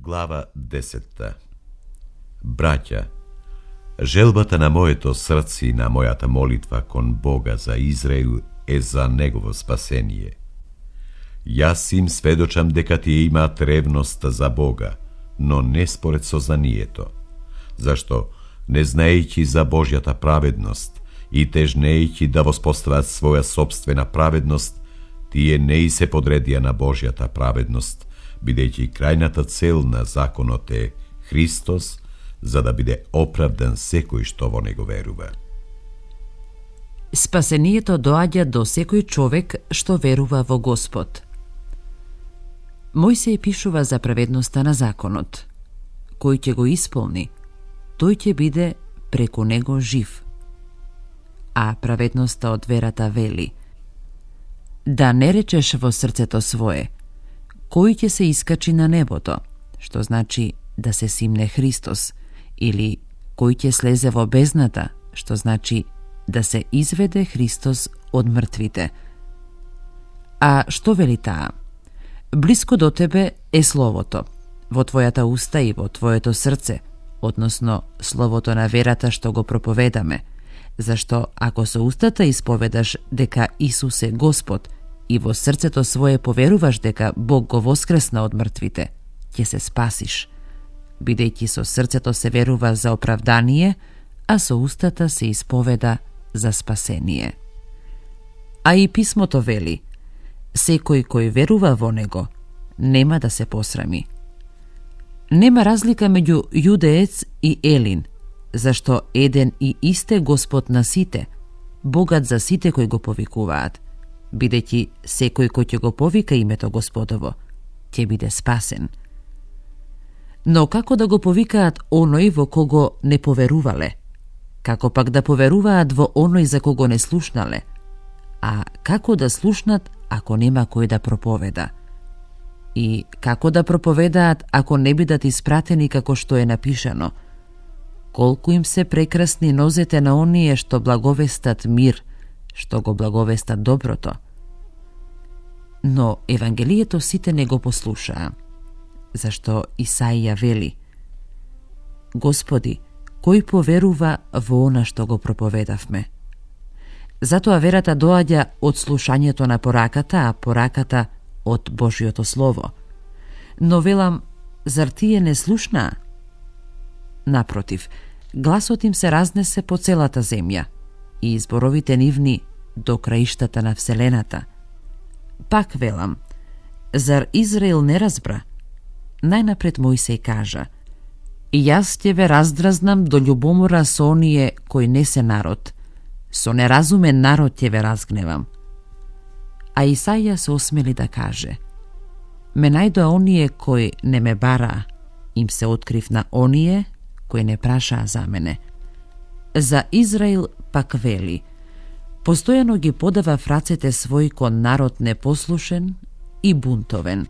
Глава 10. Браќа, желбата на моето срце и на мојата молитва кон Бога за Израил е за негово спасение. Јас им сведочам дека тие имаат ревност за Бога, но не според сознанието, зашто, не знаејќи за Божјата праведност и тежнејќи да воспостават своја собствена праведност, тие не и се подредија на Божјата праведност, бидејќи крајната цел на законот е Христос, за да биде оправдан секој што во него верува. Спасението доаѓа до секој човек што верува во Господ. Мојсей пишува за праведноста на законот. Кој ќе го исполни, тој ќе биде преку него жив. А праведноста од верата вели: да не речеш во срцето свое, кој ќе се искачи на небото, што значи да се симне Христос, или кој ќе слезе во бездната, што значи да се изведе Христос од мртвите. А што вели таа? Блиско до тебе е Словото, во твојата уста и во твоето срце, односно Словото на верата што го проповедаме, зашто ако со устата исповедаш дека Исус е Господ и во срцето свое поверуваш дека Бог го воскресна од мртвите, ќе се спасиш, бидејќи со срцето се верува за оправдание, а со устата се исповеда за спасение. А и писмото вели: секој кој верува во него, нема да се посрами. Нема разлика меѓу јудеец и елин, зашто еден и исте Господ на сите, Богат за сите кои го повикуваат, бидејќи секој кој ќе го повика името Господово, ќе биде спасен. Но како да го повикаат оној во кого не поверувале? Како пак да поверуваат во оној за кого не слушнале? А како да слушнат ако нема кој да проповеда? И како да проповедаат ако не бидат испратени како што е напишано? Колку им се прекрасни нозете на оние што благовестат мир, што го благовестат доброто. Но Евангелието сите не го послушаа, зашто Исаија вели: Господи, кој поверува во она што го проповедавме? Затоа верата доаѓа од слушањето на пораката, а пораката од Божјото Слово. Но велам, зар тие не слушнаа? Напротив, гласот им се разнесе по целата земја и зборовите нивни до краиштата на вселената. Пак велам, зар Израил не разбра? Најнапред Мојсей кажа: и јас ќе ве раздразнам до љубомора со оние кои не се народ, со неразумен народ ќе ве разгневам. А Исаија се осмели да каже: ме најдоа оние кои не ме бараа, им се открив на оние кои не прашаа за мене. За Израил пак вели: постојано ги подава в рацете свој кон народ непослушен и бунтовен.